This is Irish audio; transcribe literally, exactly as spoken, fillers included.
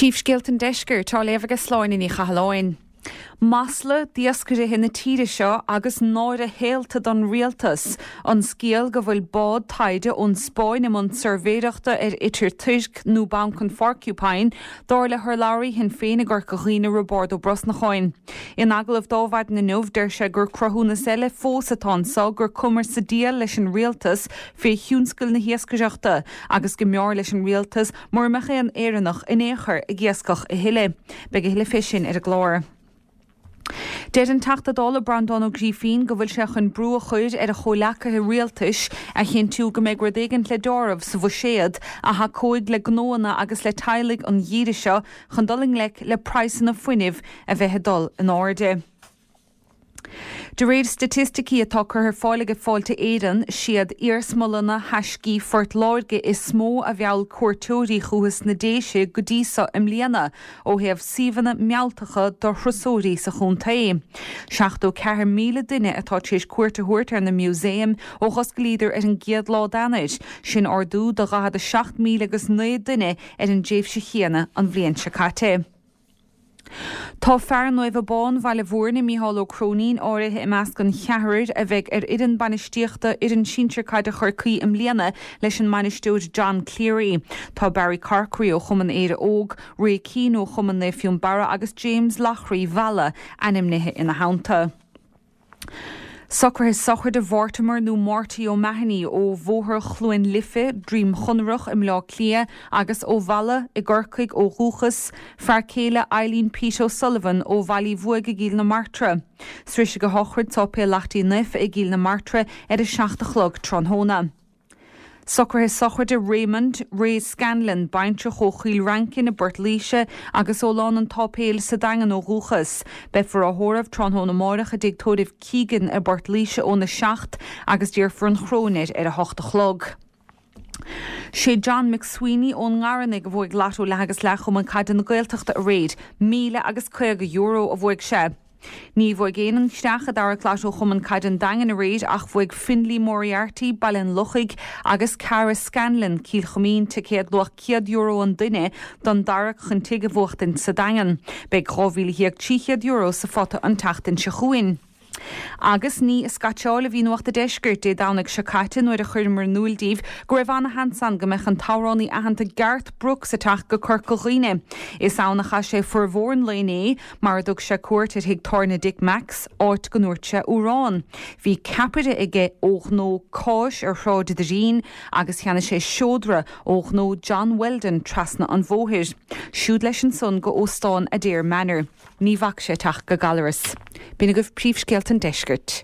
Príomhscéalta an Deiscirt á léamh ag Sláine Ní Chathalláin. Masla d'iascairí na tíre seo agus náire shaolta don rialtas, an scéal go bhfuil bád taighde ón Spáinn i mbun suirbhéireachta ar itir toirc nó Banc an Phorcupine, dar le hurlabhraí Shinn Féin i gCorca Dhuibhne Roibeárd Ó Brosnacháin. In agallamh dó maidin inniu deir sé gur cruthúnas eile fós atá anseo gur cuma sa diabhal leis an rialtas fé thionscal na hiascaireachta agus go mb'fhearr leis an rialtas mura mbeadh aon Éireannach in aon chor ag iascach a thuilleadh. Beidh a thuilleadh fé sin ar an gclár. Deir an Teachta Dála Breandán Ó Grífín go bhfuil sé chun brú a chur ar a chomhleacaithe rialtais a chinntiú go mbeidh rud éigin le deáramh sa bhuiséad a thacóidh le gnóanna agus le teaghlaigh an gheimhreadh seo chun dul i ngleic le praghsanna fuinnimh a bheith ag dul in airde. De réir staitisticí atá curtha ar fáil ag Fáilte Éireann siad iarsmalanna thaiscí Phort Láirge is mó a mheall cuairteoirí chucu sna Déise go dtí seo i mbliana ó thaobh suíomhanna mealltacha do thurasóirí sa chontae. Seachtó ceathair míle duine atá tar éis cuairt a thabhairt ar na músaeim ó dh'osclaíodar ar an gcéad lá d'Eanáir, sin ardú de dhaichead a seacht míle agus naoi duine ar an dtréimhse chéanna an bhliain seo caite. Tá fear Naomh Abán Bhaile Mhúirne Mícheál Ó Cróinín áirithe i measc an cheathrair a bheidh ar fhoireann bainistíochta fhoireann sinsir caide Chorcaí i mbliana leis an mbainisteoir John Cleary. Tá Barry Corkery ó Chumann Éire Óg, Ray Keane ó Chumann Naomh Fionnbarra agus James Lochry Bhalla ainmnithe ina theannta. Socruithe sochraide Mhortimer nó Marty O'Mahony ó Bhóthar Chluain Life, Droim Chonrach i mBleá Cliath agus ó Mhala i gCorcaigh ó dhúchas, fear céile Eileen Pete O'Sullivan ó Bhaile Bhuaidh i gCill na Martra. Sroisfidh a shochraid Sáipéal Leacht Uí Naofa i gCill na Martra ar a seacht a chlog tráthnóna. Socruithe sochraide Raymond Ray Scanlon, baintreach ó Chill Rancin i bPort Laoise agus ó Lán an tSáipéil sa Daingean ó dhúchas. Beifear á thórramh tráthnóna amárach i dtigh tórraimh Keegan i bPort Laoise óna seacht agus déarfar an chróinéir ar a hocht a chlog. Sé John McSweeney ón nGarnaigh a bhuaigh Lotto leath agus leath Chumann Caide na Gaeltachta aréir, míle agus caoga euro a bhuaigh sé. Ní bhuaigh éinne an chreach i dtarrac Lotto Chumann Caide an Daingin aréir ach bhuaigh Finlay Moriarty, Baile an Lochaigh agus Cara Scanlon, Cill Choimín, ticéad luach céad euro an duine don dtarrac chun tigh a bhuachtaint sa Daingean. Beidh dhá mhíle dhéag trí chéad euro sa phota an tseachtain seo chugainn. Agus ní ag scaitseáil a bhí Nuacht an Deiscirt Dé Domhnaigh seo caite nuair a chuireamar in iúl daoibh go raibh ana-sheans ann go mbeadh an t-amhránaí aitheanta Garth Brooks ag teacht go Corca Dhuibhne. Is ann a chaith sé formhór an lae inné mar a dtug sé cuairt ar thigh tábhairne Dick Mack's, áit go ndúirt sé amhrán. Bhí ceapaire aige ó ghnó cáis ar Shráid Doirín agus cheannaigh sé seodra ó ghnó John Weldon trasna an bhóthair. Siúd leis ansan go óstán Adare Manor. Ní bhfaca sé teacht go Gallaras. B'in agaibh príomhscéalta an Deiscirt.